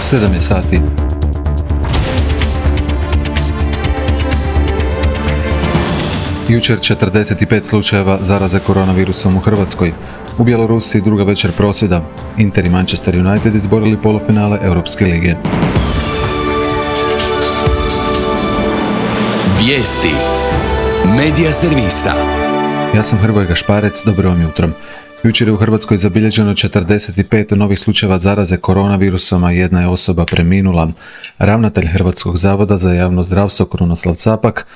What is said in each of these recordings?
7 je sati. Jučer 45 slučajeva zaraze koronavirusom u Hrvatskoj. U Bjelorusiji druga večer prosvjeda. Inter i Manchester United izborili polufinale Europske lige. Vijesti Medija servisa. Ja sam Hrvoje Gašparec, dobro vam jutro. Jučer je u Hrvatskoj zabilježeno 45 novih slučajeva zaraze koronavirusom, a jedna je osoba preminula. Ravnatelj Hrvatskog zavoda za javno zdravstvo Krunoslav Capak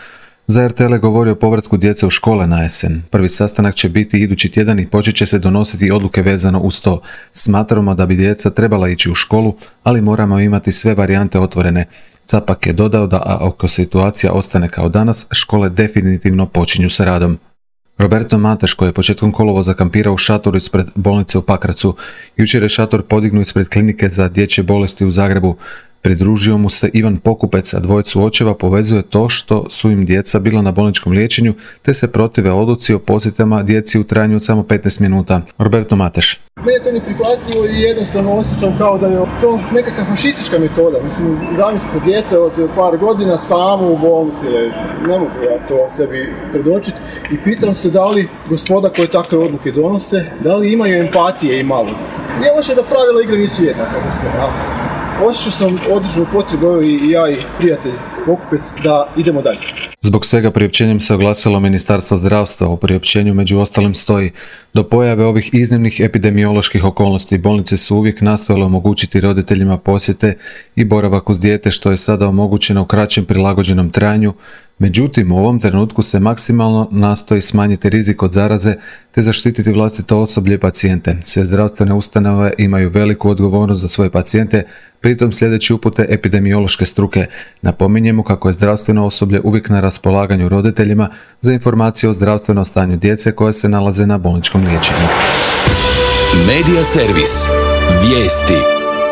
za RTL je govorio o povratku djece u škole na jesen. Prvi sastanak će biti idući tjedan i počet će se donositi odluke vezano uz to. Smatramo da bi djeca trebala ići u školu, ali moramo imati sve varijante otvorene. Capak je dodao da ako situacija ostane kao danas, škole definitivno počinju sa radom. Roberto Mateš, koji je početkom kolovoza kampirao u šatoru ispred bolnice u Pakracu, jučer je šator podignuo ispred klinike za dječje bolesti u Zagrebu. Pridružio mu se Ivan Pokupec, a dvojicu očeva povezuje to što su im djeca bila na bolničkom liječenju, te se protive odluci o posjetama djeci u trajanju od samo 15 minuta. Roberto Mateš. Meni je to neprihvatljivo i jednostavno osjećam kao da je to nekakva fašistička metoda. Mislim, zamislite dijete od par godina samo u bolnici leži. Ne mogu ja to sebi predočiti i pitam se da li gospoda koje takve odluke donose, da li imaju empatije i malo. Nije loše da pravila igre nisu jednaka za sve. Osjećao sam određenu potrebu i ja i prijatelj Pokupec da idemo dalje. Zbog svega priopćenjem se oglasilo Ministarstvo zdravstva. U priopćenju među ostalim stoji: do pojave ovih iznimnih epidemioloških okolnosti bolnice su uvijek nastojale omogućiti roditeljima posjete i boravak uz dijete, što je sada omogućeno u kraćem prilagođenom trajanju. Međutim, u ovom trenutku se maksimalno nastoji smanjiti rizik od zaraze te zaštititi vlastito osoblje i pacijente. Sve zdravstvene ustanove imaju veliku odgovornost za svoje pacijente, pritom sljedeći upute epidemiološke struke. Napominjemo kako je zdravstveno osoblje uvijek na raspolaganju roditeljima za informacije o zdravstvenom stanju djece koja se nalaze na bolničkom liječenju. Medija servis. Vijesti.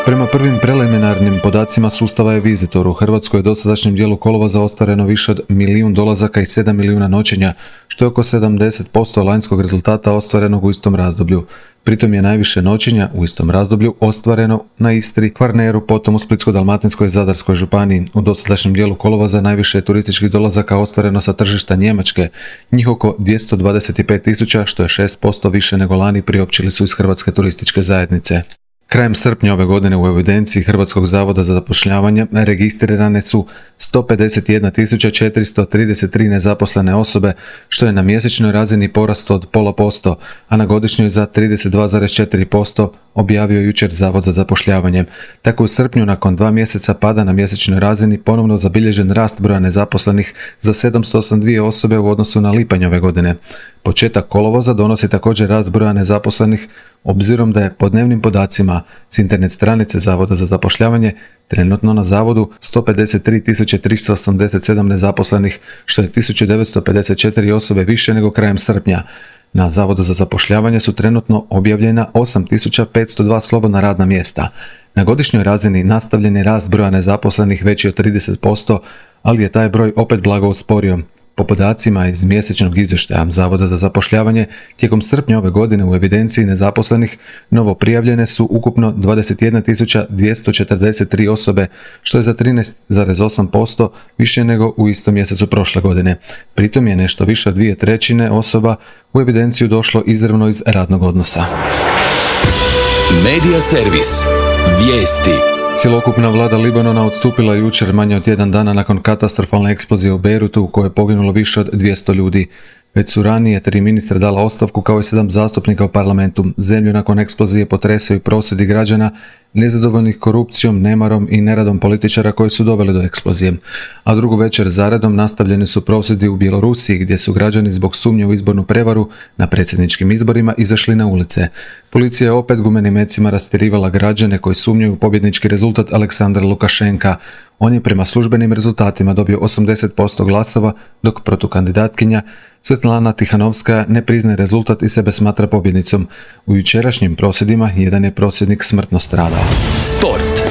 Prema prvim preliminarnim podacima sustava e-Visitor u Hrvatskoj je u dosadašnjem dijelu kolovoza ostvareno više od 1 milijun dolazaka i 7 milijuna noćenja, što je oko 70% lanjskog rezultata ostvarenog u istom razdoblju. Pritom je najviše noćenja u istom razdoblju ostvareno na Istri, Kvarneru, potom u Splitsko-dalmatinskoj i Zadarskoj županiji. U dosadašnjem dijelu kolovoza najviše je turističkih dolazaka ostvareno sa tržišta Njemačke, njih oko 225.000, što je 6% više nego lani, priopćili su iz Hrvatske turističke zajednice. Krajem srpnja ove godine u evidenciji Hrvatskog zavoda za zapošljavanje registrirane su 151.433 nezaposlene osobe, što je na mjesečnoj razini porast od 0,5%, a na godišnjoj za 32,4%, objavio jučer Zavod za zapošljavanje. Tako u srpnju, nakon 2 mjeseca pada na mjesečnoj razini, ponovno zabilježen rast broja nezaposlenih za 782 osobe u odnosu na lipanj ove godine. Početak kolovoza donosi također rast broja nezaposlenih, obzirom da je po dnevnim podacima s internet stranice Zavoda za zapošljavanje trenutno na zavodu 153.387 nezaposlenih, što je 1954 osobe više nego krajem srpnja. Na Zavodu za zapošljavanje su trenutno objavljena 8.502 slobodna radna mjesta. Na godišnjoj razini nastavljen je rast broja nezaposlenih veći od 30%, ali je taj broj opet blago usporio. Po podacima iz mjesečnog izvještaja Zavoda za zapošljavanje, tijekom srpnja ove godine u evidenciji nezaposlenih novo prijavljene su ukupno 21.243 osobe, što je za 13,8% više nego u istom mjesecu prošle godine. Pritom je nešto više od 2/3 osoba u evidenciju došlo izravno iz radnog odnosa. Medija servis. Vijesti. Cjelokupna vlada Libanona odstupila jučer manje od 1 dana nakon katastrofalne eksplozije u Beirutu u kojoj je poginulo više od 200 ljudi. Već su ranije 3 ministra dala ostavku kao i 7 zastupnika u parlamentu. Zemlju nakon eksplozije potresaju prosvjedi građana, nezadovoljnih korupcijom, nemarom i neradom političara koji su doveli do eksplozije. A drugu večer zaredom nastavljeni su prosvjedi u Bjelorusiji, gdje su građani zbog sumnje u izbornu prevaru na predsjedničkim izborima izašli na ulice. Policija je opet gumenim mecima rastjerivala građane koji sumnjaju u pobjednički rezultat Aleksandra Lukašenka. On je prema službenim rezultatima dobio 80% glasova, dok protukandidatkinja Svetlana Tihanovskaja ne priznaje rezultat i sebe smatra pobjednicom. U jučerašnjim prosvjedima jedan je prosvjednik smrtno stradao. Sport.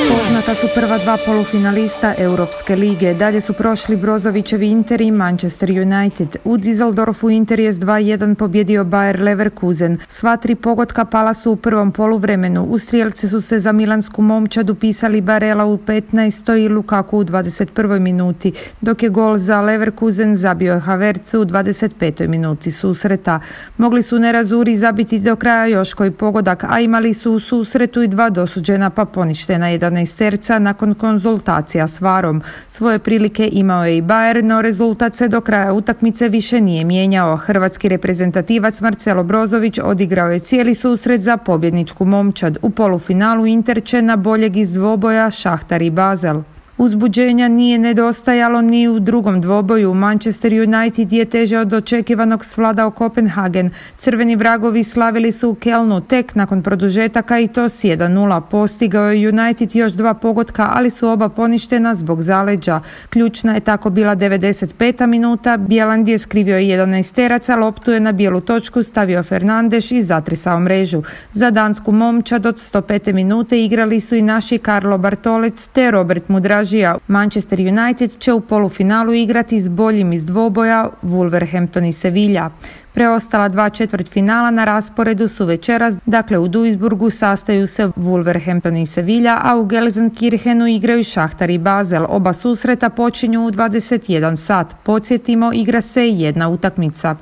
Poznata su prva dva polufinalista Europske lige. Dalje su prošli Brozovićevi Inter i Manchester United. U Düsseldorfu Inter je s 2-1 pobjedio Bayer Leverkusen. Sva tri pogotka pala su u prvom poluvremenu. U strijelce su se za milansku momčad upisali Barella u 15. i Lukaku u 21. minuti, dok je gol za Leverkusen zabio Havertz u 25. minuti susreta. Mogli su nerazuri zabiti do kraja još koji pogodak, a imali su u susretu i dva dosuđena pa poništena 11-terca nakon konzultacija s VAR-om. Svoje prilike imao je i Bayer, no rezultat se do kraja utakmice više nije mijenjao. Hrvatski reprezentativac Marcelo Brozović odigrao je cijeli susret za pobjedničku momčad. U polufinalu Inter će na boljeg iz dvoboja Šahtar i Basel. Uzbuđenja nije nedostajalo ni u drugom dvoboju. Manchester United je teže od očekivanog svladao Kopenhagen. Crveni vragovi slavili su u Kelnu tek nakon produžetaka i to s 1-0. Postigao je United još dva pogotka, ali su oba poništena zbog zaleđa. Ključna je tako bila 95. minuta. Bjeland je skrivio 11-teraca, loptu je na bijelu točku stavio Fernandes i zatresao mrežu. Za dansku momčad od 105. minute igrali su i naši Karlo Bartolec te Robert Mudraž. Manchester United će u polufinalu igrati s boljim iz dvoboja Wolverhampton i Sevilla. Preostala dva četvrtfinala na rasporedu su večeras, dakle u Duisburgu sastaju se Wolverhampton i Sevilla, a u Gelsenkirchenu igraju Šahtar i Basel. Oba susreta počinju u 21 sat. Podsjetimo, igra se jedna utakmica.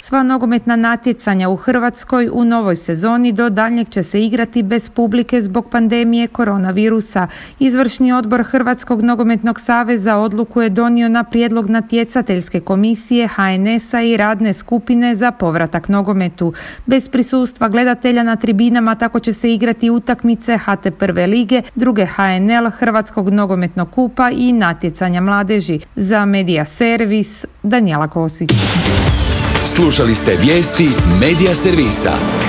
Sva nogometna natjecanja u Hrvatskoj u novoj sezoni do daljnjeg će se igrati bez publike zbog pandemije koronavirusa. Izvršni odbor Hrvatskog nogometnog saveza odluku je donio na prijedlog natjecateljske komisije HNS-a i radne skupine za povratak nogometu. Bez prisustva gledatelja na tribinama tako će se igrati utakmice HT prve lige, druge HNL, Hrvatskog nogometnog kupa i natjecanja mladeži. Za Medija Servis, Danijela Kosić. Slušali ste vijesti Medija Servisa.